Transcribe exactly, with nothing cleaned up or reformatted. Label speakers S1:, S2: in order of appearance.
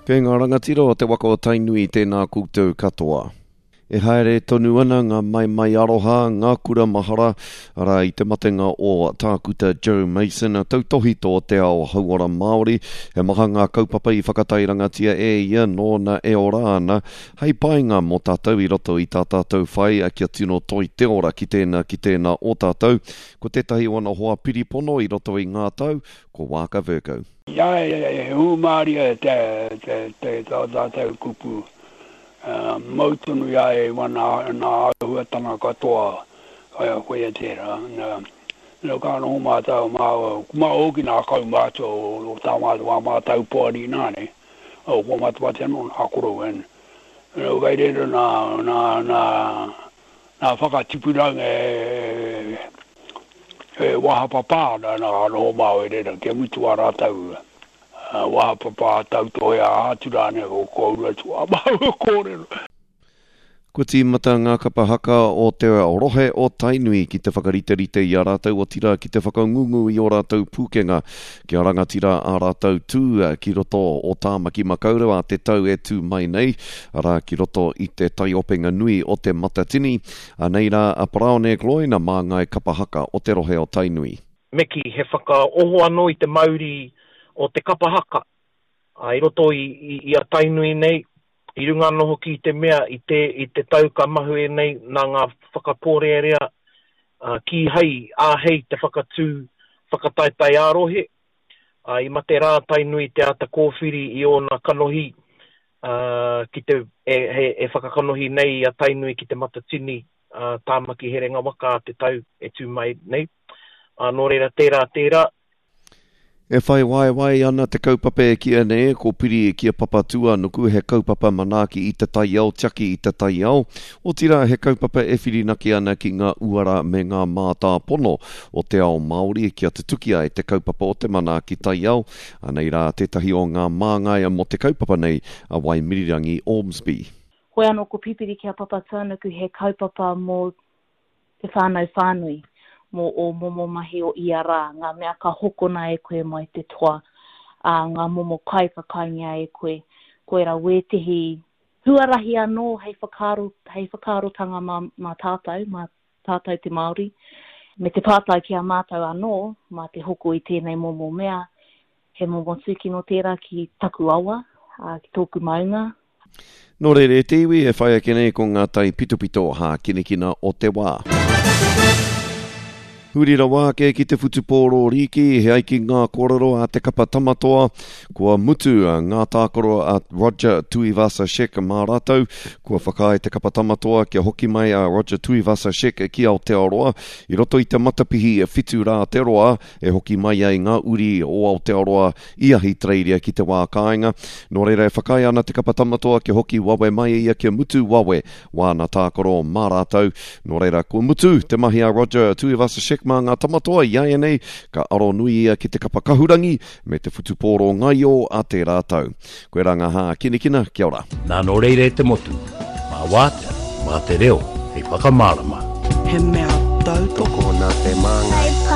S1: Kei ngā rangatira o te waka o Tainui, tēnā koutou katoa. E haere tonu ana ngā maimai aroha, ngā kura mahara, arā i te matenga o Tākuta Joe Mason, tautohito o te ao hauora Māori. He maha ngā kaupapa i whakatairangatia e ia nōna e ora ana, hei painga mō tātou i roto i tā tātou whai kia tino toi te ora ki tēnā ki tēnā o tātou. Ko tētahi o ana hoa piripono i roto i ngā tau, ko Waaka Vercoe.
S2: Ia e hūmārie te, te, te, tā tātou kupu. Uh, mau tonu ia e wana nā āhuatanga katoa, koia tērā. Nā, nā ka noho mātou, mā, mā hoki nā kaumātua o, o tā mātou, wā mātou poari nā ne, o kua matamate anō nā korou en. Nā, kai reira nā, nā, nā, nā whakatipuranga e, e wahapapā ana nā noho māu e reira, kia mutu a rātou. Wahapapa tautohe a atu rānei o kōrua atu a māua kōrero.
S1: Kua tīmata ngā kapa haka o te rohe o Tainui ki te whakariterite i a rātou, otirā ki te whakangungu i ō rātou pūkenga kia rangatira a rātou tū ki roto o Tāmaki Makaurau a te tau e tū mai nei, arā ki roto i te taiopenga nui o te Matatini. Anei rā a Paraone Gloyne, māngai kapa haka o te rohe o Tainui.
S3: Me kī, he whakaoho anō i te mauri o te kapa haka, a, i roto i, i, i a Tainui nei, i runga anō hoki i te mea, i te, i te tau ka mahue nei nā ngā whakapōrearea, a, kīhai āhei te whakatū whakataetae ā-rohe, a, i mate rā Tainui te āta kōwhiri i ōna kanohi, a, ki te, e, e, e whakakanohi nei i a Tainui ki te Matatini, a, Tāmaki Herenga Waka a te tau e tū mai nei. A, nō reira tērā tērā.
S1: E whai waewae ana te kaupapa e kīia nei ko Piri ki a Papatūānuku, he kaupapa manaaki i te taiao, tiaki i te taiao. Otirā he kaupapa e whirinaki ana ki ngā uara me ngā mātāpono o te ao Māori kia tutuki ai te kaupapa o te manaaki taiao. Anei rā tētahi o ngā māngai mō te kaupapa nei, a Waimirirangi Ormsby.
S4: Hoi anō ko Pipiri ki a Papatūānuku he kaupapa mō te whānau whānui, mō o momo mahi o ia rā, ngā mea ka hokona e koe mai te toa, ā, ngā momo kai ka kaingia e koe. Koira wētehi huarahi anō hei whakaaro, hei whakaarotanga mā, mā tātou, mā tātou te Māori, me te pātai ki a mātou anō, mā te hoko i tēnei momo mea, he momo tūkino tērā ki taku awa, ā, ki tōku maunga.
S1: Nō reira e te iwi e whai ake nei ko ngā tai pitopito hākinakina o te wā. Huri rawa ake ki te whutupōro rīki, he ai ki ngā kōrero a te kapa Tamatoa, kua mutu ngā tākaro a Roger Tuivasa-Sheck mā rātou, kua whakaae te kapa Tamatoa kia hoki mai a Roger Tuivasa-Sheck ki Aotearoa, i roto i te matapihi whitu rā te roa, e hoki mai ai ngā uri o Aotearoa i Ahitereiria ki te wā kāinga. Nō reira e whakaae ana te kapa Tamatoa kia hoki wawe mai ia kia mutu wawe wāna tākaro mā rātou. Nō reira, kua mutu te mahi a Roger Tuivasa-Sheck mā ngā Tamatoa i āianei, ka aro nui ia ki te kapa kahurangi me te whutupōro ngaio a tērā tau. Koe rā ngā hākinakina, kia ora.
S5: Nā nō reira e te motu, mā wātea, mā te reo, hei whakamārama.
S6: He mea tautoko
S7: nā te māngai.